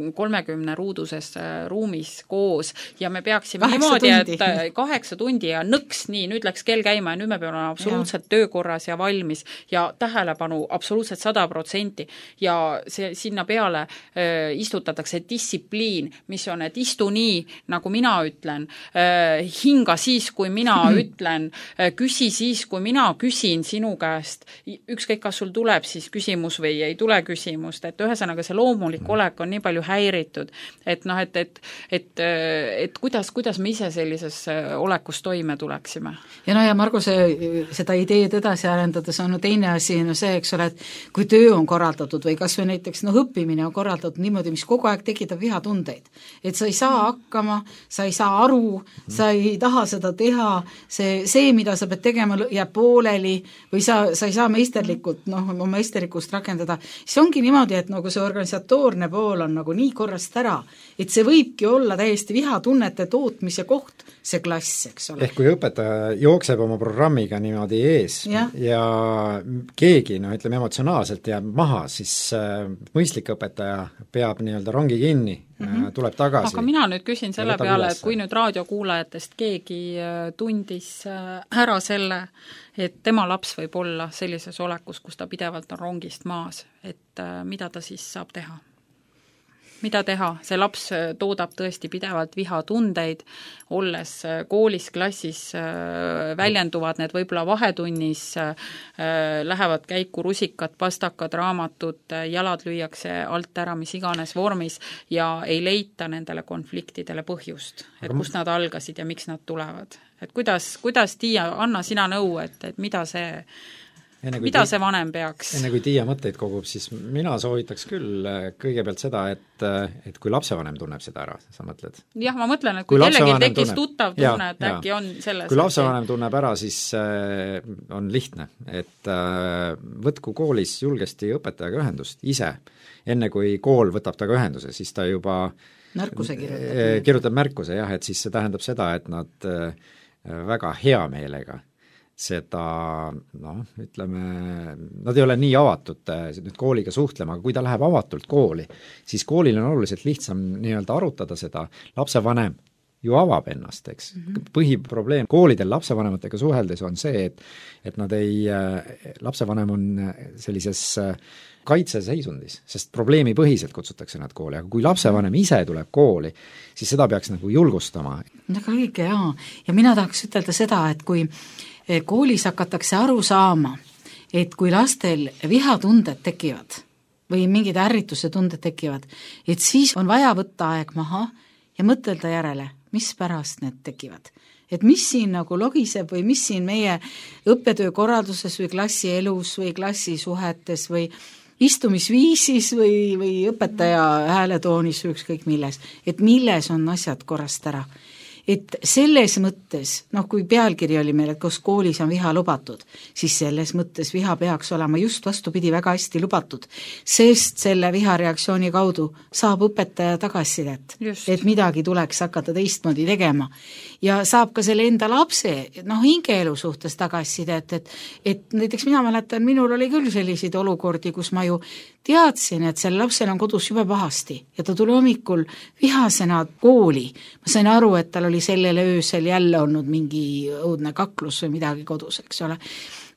30 ruuduses ruumis koos ja me peaksime niimoodi, et 8 tundi ja nõks, nii, nüüd läks kell käima ja nüüd me peame olema absoluutselt töökorras ja valmis ja tähelepanu absoluutselt 100% ja see sinna peale istutatakse distsipliin, mis on, et istu nii, nagu mina ütlen, hinga siis, kui mina ütlen, küsi siis, kui mina küsin sinu käest, ükskõik kas sul tuleb siis küsimus või ei tule küsimust, et ühesõnaga see loomulik olek on nii palju häiritud, et kuidas me ise sellises olekus toime tuleksime. Ja Margus, seda ideed edasi arendades on teine asi, see, eks ole, et kui töö on korraldatud või kas või näiteks õppimine on korraldatud niimoodi, mis kogu aeg tekitab vihatundeid, et sa ei saa hakkama, sa ei saa aru, sa ei taha seda teha, see, mida sa pead tegema, jääb pooleli või sa ei saa meisterlikult, oma meisterlikkust rakendada, siis ongi niimoodi, et nagu see organisatoorne pool on nagu nii korrast ära, et see võibki olla täiesti vihatunnete tootmise koht, see klass, eks ole. Ehk kui õpetaja jookseb oma programmiga niimoodi ees ja keegi, ütleme emotsionaalselt jääb maha, siis mõistlik õpetaja peab nii-öelda rongi kinni, tuleb tagasi. Aga mina nüüd küsin selle peale, et kui nüüd raadiokuulajatest keegi tundis ära selle, et tema laps võib olla sellises olekus, kus ta pidevalt on rongist maas, et mida ta siis saab teha? mida teha, see laps toodab tõesti pidevalt vihatundeid, olles koolis, klassis, väljenduvad need võib-olla vahetunnis, lähevad käiku rusikad, pastakad, raamatud, jalad lüüakse alt ära, mis iganes vormis ja ei leita nendele konfliktidele põhjust, et kust nad algasid ja miks nad tulevad. Et kuidas Tiia, anna sina nõu, et mida see vanem peaks? Enne kui Tiia mõtteid kogub, siis mina soovitaks küll kõigepealt seda, et kui lapsevanem tunneb seda ära, sa mõtled? Jah, ma mõtlen, et kui kellelgi tekkis tuttav tunne, et äkki on selles... Kui lapsevanem tunneb ära, siis on lihtne, et võtku koolis julgesti õpetajaga ühendust ise. Enne kui kool võtab taga ühenduse, siis ta juba märkuse kirjutab märkuse, jah, et siis see tähendab seda, et nad väga hea meelega seda, ütleme, nad ei ole nii avatud nüüd kooliga suhtlema, aga kui ta läheb avatult kooli, siis koolil on oluliselt lihtsam nii-öelda arutada seda, lapsevanem ju avab ennast, eks. Põhiprobleem koolidel lapsevanematega suheldes on see, et nad ei, lapsevanem on sellises kaitseseisundis, sest probleemipõhiselt kutsutakse nad kooli, aga kui lapsevanem ise tuleb kooli, siis seda peaks nagu julgustama. Väga õige, jaa. Ja mina tahaks ütelda seda, et kui koolis hakatakse aru saama, et kui lastel vihatunded tekivad või mingid ärrituse tunded tekivad, et siis on vaja võtta aeg maha ja mõtelda järele, mis pärast need tekivad. Et mis siin nagu logiseb või mis siin meie õppetöökorralduses või klassielus või klassisuhetes või istumisviisis või õpetaja hääletoonis või ükskõik milles, et milles on asjad korrast ära. Et selles mõttes, kui pealkiri oli meil, et kus koolis on viha lubatud, siis selles mõttes viha peaks olema just vastupidi väga hästi lubatud, sest selle vihareaktsiooni kaudu saab õpetaja tagasisidet, et midagi tuleks hakata teistmoodi tegema. Ja saab ka selle enda lapse hingeelu suhtes tagasisidet, et näiteks mina mäletan, minul oli küll selliseid olukordi, kus ma ju teadsin, et selle lapsel on kodus juba pahasti ja ta tuli hommikul vihasena kooli. Ma sain aru, et tal oli sellele öösel jälle olnud mingi õudne kaklus või midagi kodus, eks ole.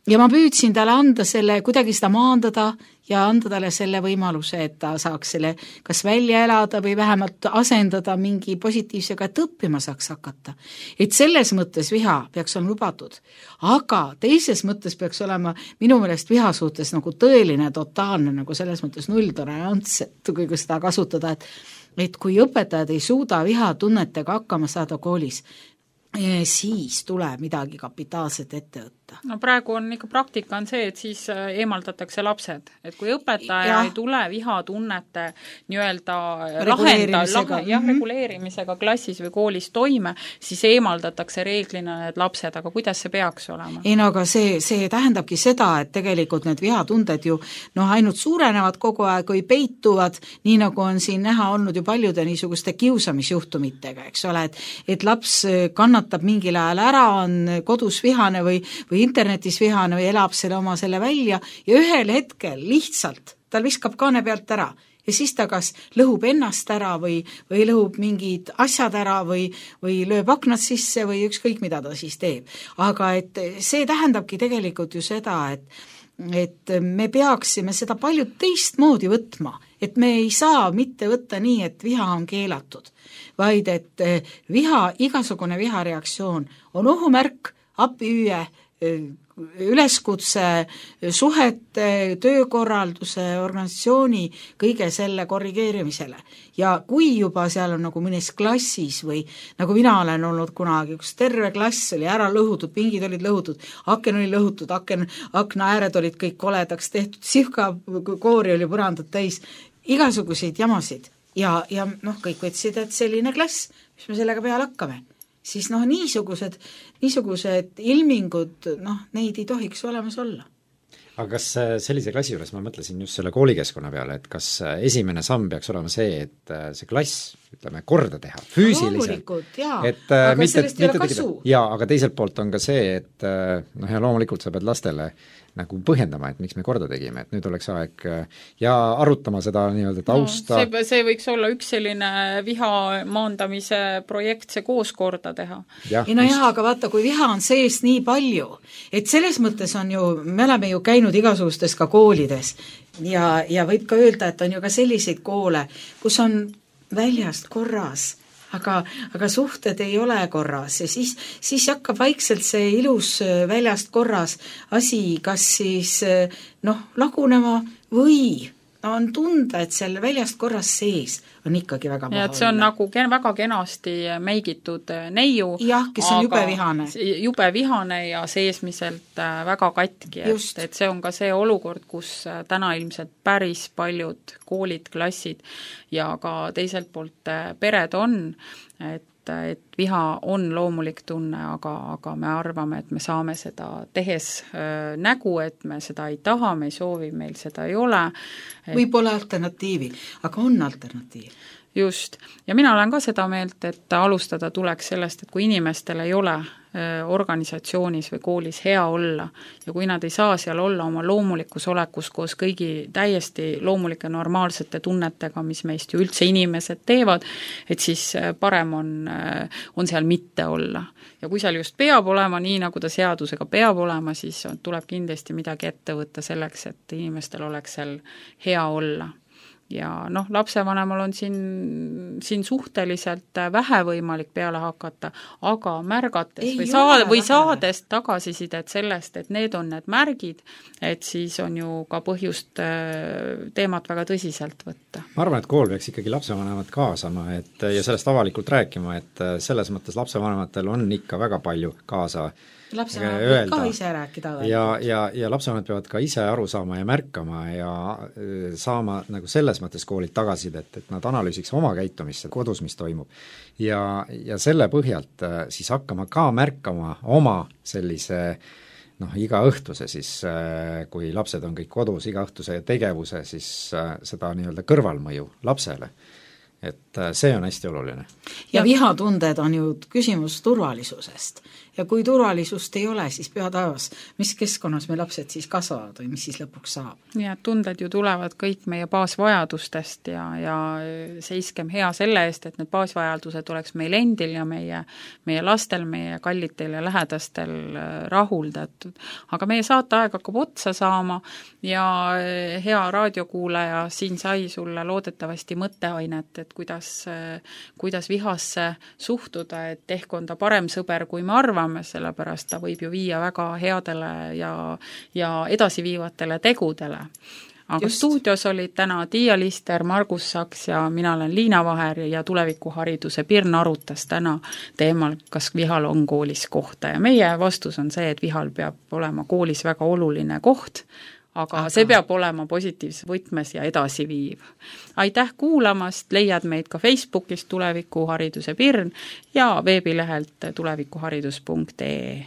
Ja ma püüdsin talle anda selle, kuidagi seda maandada ja anda talle selle võimaluse, et ta saaks selle kas välja elada või vähemalt asendada mingi positiivsega, et õppima saaks hakata. Et selles mõttes viha peaks olema lubatud, aga teises mõttes peaks olema minu meelest viha suhtes nagu tõeline, totaalne, nagu selles mõttes nulltolerants, et kui seda kasutada, et kui õpetajad ei suuda vihatunnetega hakkama saada koolis, siis tuleb midagi kapitaalset ette võtta. No praegu on ikka praktika on see, et siis eemaldatakse lapsed, et kui õpetaja ei tule vihatunnete nii-öelda reguleerimisega klassis või koolis toime, siis eemaldatakse reeglina need lapsed, aga kuidas see peaks olema? Ei no aga see tähendabki seda, et tegelikult need vihatunded ju ainult suurenevad kogu aeg või peituvad, nii nagu on siin näha olnud ju paljude niisuguste kiusamisjuhtumitega, eks ole, et laps kannatab mingil ajal ära, on kodus vihane või internetis vihane või elab selle välja ja ühel hetkel lihtsalt tal viskab kaane pealt ära ja siis ta kas lõhub ennast ära või lõhub mingid asjad ära või lööb aknad sisse või ükskõik mida ta siis teeb. Aga et see tähendabki tegelikult ju seda, et me peaksime seda palju teistmoodi võtma, et me ei saa mitte võtta nii, et viha on keelatud, vaid et igasugune vihareaktsioon on ohumärk, abihüüe, üleskutse suhete, töökorralduse, organisatsiooni, kõige selle korrigeerimisele. Ja kui juba seal on nagu mõnes klassis või nagu mina olen olnud kunagi, kus terve klass oli ära lõhutud, pingid olid lõhutud, aken oli lõhutud, akna ääred olid kõik koledaks tehtud, sihka koori oli põrandad täis, igasuguseid jamasid ja kõik võtsid, et selline klass, mis me sellega peale hakkame. Siis niisugused ilmingud, neid ei tohiks olemas olla. Aga kas sellise klassi juures, ma mõtlesin just selle koolikeskkonna peale, et kas esimene samm peaks olema see, et see klass, ütleme, korda teha, füüsiliselt. Loomulikult, jaa, aga sellest ei ole kasu. Jaa, aga teiselt poolt on ka see, et ja loomulikult sa pead lastele nagu põhjendama, et miks me korda tegime, et nüüd oleks aeg ja arutama seda nii-öelda tausta. See võiks olla üks selline viha maandamise projekt, see koos korda teha. Aga vaata, kui viha on sees nii palju, et selles mõttes on ju, me oleme ju käinud igasugustes ka koolides ja võib ka öelda, et on ju ka selliseid koole, kus on väljast korras, aga suhted ei ole korras ja siis hakkab vaikselt see ilus väljast korras asi kas siis lagunema või on tunda, et seal väljast korras sees on ikkagi väga paha. Ja et see on nagu väga kenasti meigitud neiu. Jah, kes on jube vihane. Jube vihane ja seesmiselt väga katki. Et see on ka see olukord, kus täna ilmselt päris paljud koolid, klassid ja ka teiselt poolt pered on, et viha on loomulik tunne, aga me arvame, et me saame seda tehes nägu, et me seda ei taha, me ei soovi, meil seda ei ole. Või pole alternatiivi, aga on alternatiiv. Just. Ja mina olen ka seda meelt, et alustada tuleks sellest, et kui inimestel ei ole organisatsioonis või koolis hea olla ja kui nad ei saa seal olla oma loomulikus olekus koos kõigi täiesti loomulike normaalsete tunnetega, mis meist ju üldse inimesed teevad, et siis parem on seal mitte olla. Ja kui seal just peab olema nii, nagu ta seadusega peab olema, siis tuleb kindlasti midagi ette võtta selleks, et inimestel oleks seal hea olla. Ja lapsevanemal on siin suhteliselt vähe võimalik peale hakata, aga märgates või saades tagasisidet sellest, et need on need märgid, et siis on ju ka põhjust teemat väga tõsiselt võtta. Ma arvan, et kool peaks ikkagi lapsevanemad kaasama ja sellest avalikult rääkima, et selles mõttes lapsevanematel on ikka väga palju kaasa lapsevanemad peavad ka ise rääkida. Ja lapsevanemad peavad ka ise aru saama ja märkama ja saama nagu selles mõttes koolid tagasidet, et nad analüüsiks oma käitumist kodus, mis toimub. Ja selle põhjalt siis hakkama ka märkama oma sellise iga õhtuse siis, kui lapsed on kõik kodus, iga õhtuse tegevuse, siis seda nii-öelda kõrvalmõju lapsele. Et see on hästi oluline. Ja vihatunded on ju küsimus turvalisusest. Ja kui turvalisust ei ole, siis peataevas, mis keskkonnas me lapsed siis kasvavad või mis siis lõpuks saab? Ja tunded ju tulevad kõik meie baasvajadustest ja seiskem hea selle eest, et need baasvajadused oleks meil endil ja meie lastel, meie kallitel ja lähedastel rahuldatud. Aga meie saateaeg hakkab otsa saama ja hea raadiokuulaja siin sai sulle loodetavasti mõtteainet, et kuidas vihasse suhtuda, et ehk on ta parem sõber, kui me arvame, sellepärast ta võib ju viia väga headele ja edasiviivatele tegudele. Aga stuudios olid täna Tiia Lister, Margus Saks ja mina olen Liina Vaher ja tulevikuhariduse Pirn arutas täna teemal, kas vihal on koolis kohta ja meie vastus on see, et vihal peab olema koolis väga oluline koht, aga see peab olema positiivses võtmes ja edasiviiv. Aitäh kuulamast, leiad meid ka Facebookist Tulevikuhariduse Pirn ja veebilehelt tulevikuharidus.ee.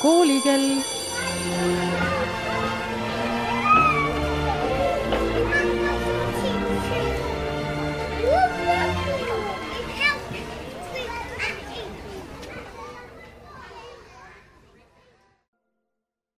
koolikell.